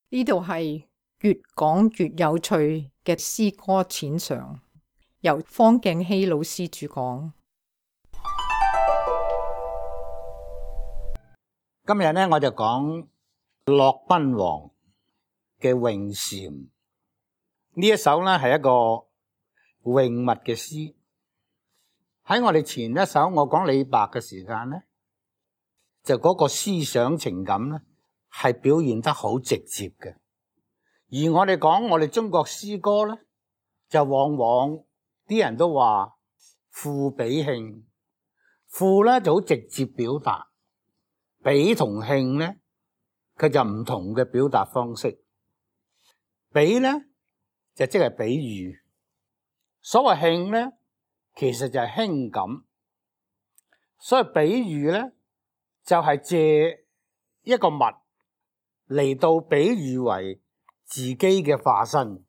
呢度係越講越有趣嘅詩歌淺嘗，由方敬熙老師主講。今日呢，我就講駱賓王嘅詠禪。呢一首呢係一個詠物嘅詩。喺我哋前一首我講李白嘅時間呢，就嗰個思想情感呢係表現得好直接嘅。而我哋講我哋中國詩歌呢，就往往啲人都話賦比興。賦呢就好直接表達，比同興呢佢就唔同嘅表達方式。比呢就即係比喻，所謂興呢其實就係輕感。所以比喻呢就係借一個物嚟到比喻為自己嘅化身，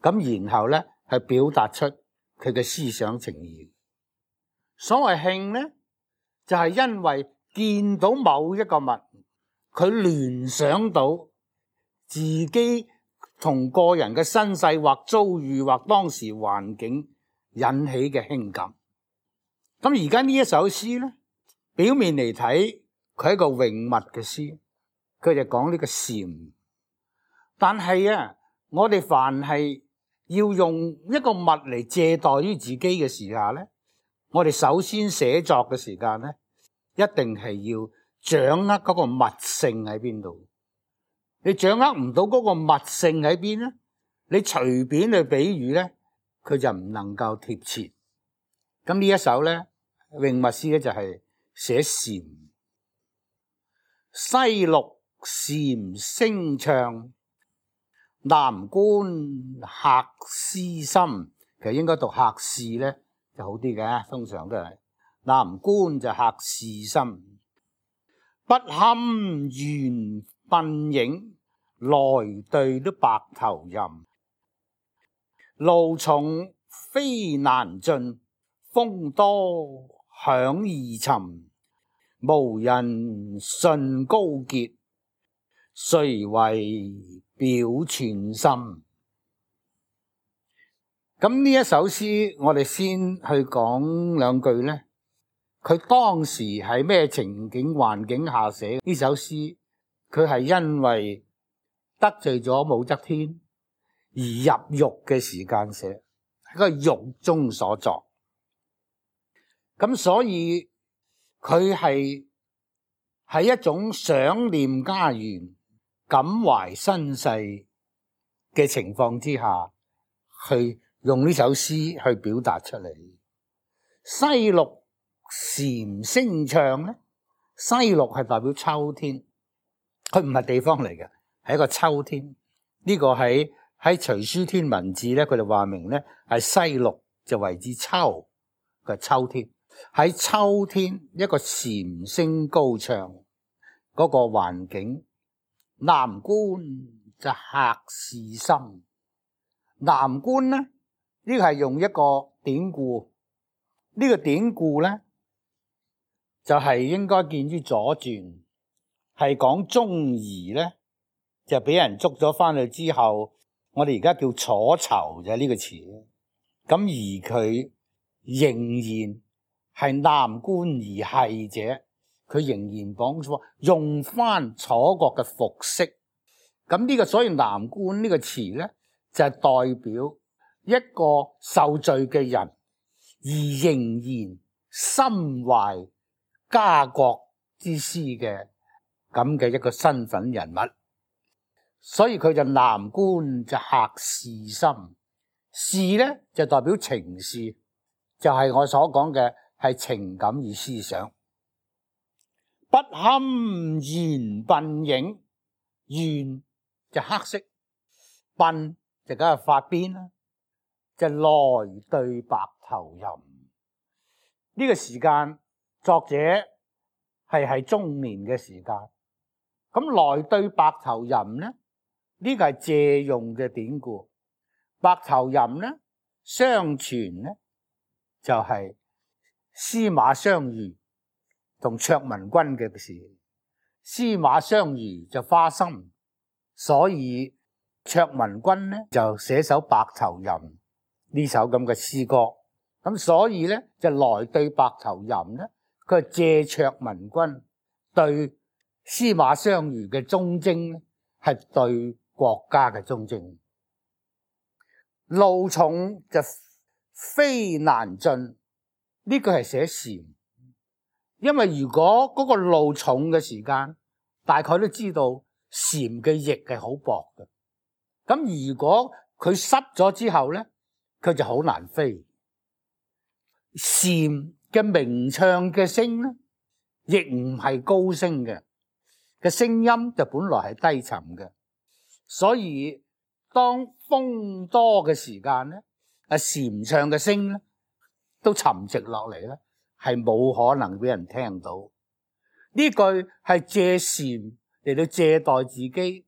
咁然後呢係表達出佢嘅思想情意。所謂興呢就係因為見到某一個物，佢聯想到自己同個人嘅身世或遭遇或當時環境引起嘅興感。咁而家呢一首詩呢，表面嚟睇佢係一個詠物嘅詩，佢就講呢個禪。但係啊，我哋凡係要用一個物嚟借代於自己嘅時候呢，我哋首先寫作嘅時間呢，一定係要掌握嗰個物性喺邊度。你掌握唔到嗰個物性喺邊呢，你隨便去比喻呢，佢就唔能夠貼切。咁呢一首呢詠物詩呢，就係寫禪。西陸禪聲唱，南觀客思深。其實應該讀客思呢就好啲嘅，通常都係南觀就客思深。不堪緣鬢影，來對都白頭吟。路重飛難盡，風多響易沉。無人順高潔，誰為表寸心。咁呢一首詩我哋先去講兩句呢，佢當時係咩情景環境下寫呢首詩？佢係因為得罪咗武則天而入獄嘅時間寫，喺個獄中所作。咁所以佢係一種想念家園、感懷身世嘅情況之下，去用呢首詩去表達出嚟。西陸禪聲唱咧，西陸係代表秋天，佢唔係地方嚟嘅，係一個秋天。呢個喺徐書天文志咧，佢哋話明咧係西陸就為之秋，佢係秋天。喺秋天一個禪聲高唱嗰個環境。南觀就客思深。南觀咧，呢個係用一個典故。呢個典故咧就係應該見於左傳，係講鍾儀咧就俾人捉咗翻去之後，我哋而家叫楚囚就係呢個詞。咁而佢仍然係南觀而係者，佢仍然講用翻楚國嘅服飾。咁呢個所以南觀呢個詞咧就係代表一個受罪嘅人，而仍然心懷家國之思嘅咁嘅一個身份人物。所以佢就南觀就客思深。思咧就代表情思，就係我所講嘅係情感與思想。不堪緣鬢影，緣就黑色，鬢就梗係髮辮啦，就來對白頭吟。呢個時間作者係中年嘅時間，咁來對白頭吟呢，呢個係借用嘅典故。白頭吟呢，相傳呢就係司馬相如同卓文君嘅事。司馬相如就花心，所以卓文君咧就寫首《白頭吟》呢首咁嘅詩歌。咁所以咧就來對《白頭吟》咧，佢係借卓文君對司馬相如嘅忠貞咧，係對國家嘅忠貞。路重就非難進，呢個係寫禪。因為如果嗰個路重嘅時間，大概都知道禪嘅翼係好薄嘅。咁如果佢濕咗之後咧，佢就好難飛。禪嘅鳴唱嘅聲咧，亦唔係高聲嘅聲音，就本來係低沉嘅。所以當風多嘅時間咧，禪唱嘅聲咧都沉寂落嚟咧，係冇可能俾人聽到。呢句係借禪嚟到借代自己，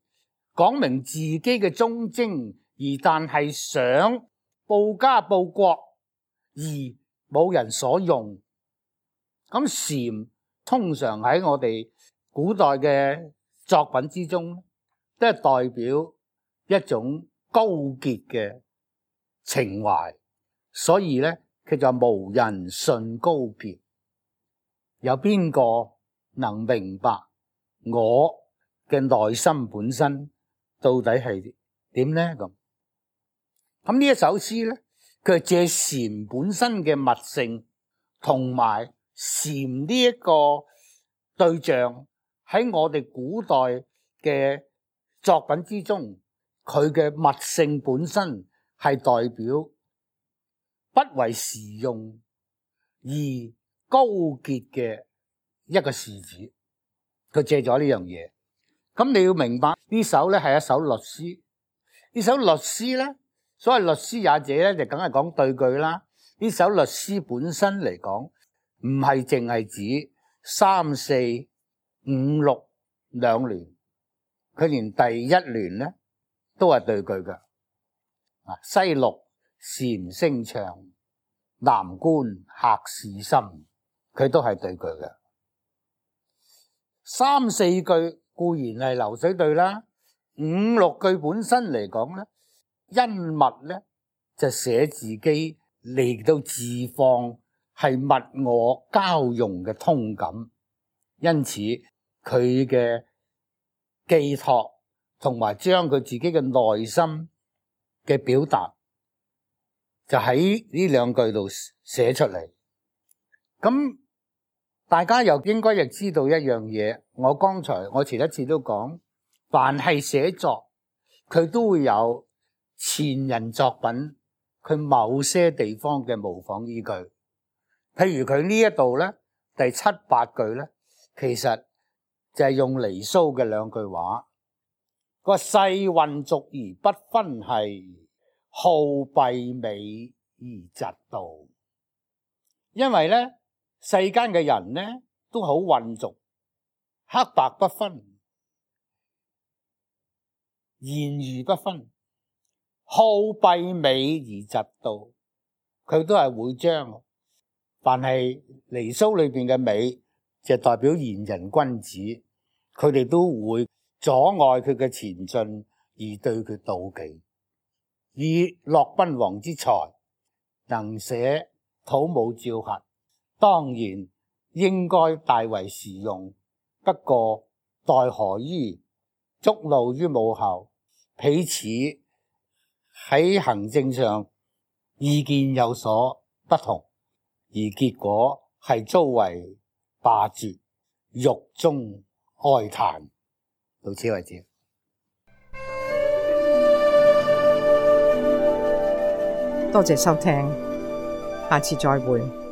講明自己嘅忠貞，而但係想報家報國而冇人所用。咁禪通常喺我哋古代嘅作品之中，都係代表一種高潔嘅情懷，所以咧佢就無人信高潔。有邊個能明白我嘅內心本身到底係點咧？咁呢一首詩咧，佢係借禪本身嘅密性，同埋禪呢一個對象喺我哋古代嘅作品之中，佢嘅密性本身係代表不為時用而高潔嘅一個士子。佢借咗呢樣嘢。咁你要明白呢首咧係一首律詩。呢首律詩咧，所謂律詩也者咧，就梗係講對句啦。呢首律詩本身嚟講，唔係淨係指3、4、5、6兩聯，佢連第一聯咧都係對句嘅。西陸禪聲唱，南關客市深，佢都係對句嘅。3、4句固然係流水對啦，5、6句本身嚟講咧，因物咧就寫自己嚟到自放，係物我交融嘅通感，因此佢嘅寄託同埋將佢自己嘅內心嘅表達，就喺呢兩句度寫出嚟。咁大家又應該亦知道一樣嘢，我前一次都講，凡係寫作，佢都會有前人作品佢某些地方嘅模仿依據。譬如佢呢一度咧，第7、8句咧，其實就係用離騷嘅兩句話。個世混濁而不分係，好弊美而嫉妒。因為咧，世間嘅人咧都好混濁，黑白不分，言語不分，好弊美而嫉妒。佢都係會將凡係離騷裏邊嘅美，就代表賢人君子，佢哋都會阻礙佢嘅前進而對佢妒忌。以駱賓王之才，能寫土木照合，當然應該大為時用，不過待何於觸怒於母后，彼此喺行政上意見有所不同，而結果係遭為罷黜，獄中哀嘆。到此為止。多謝收聽，下次再會。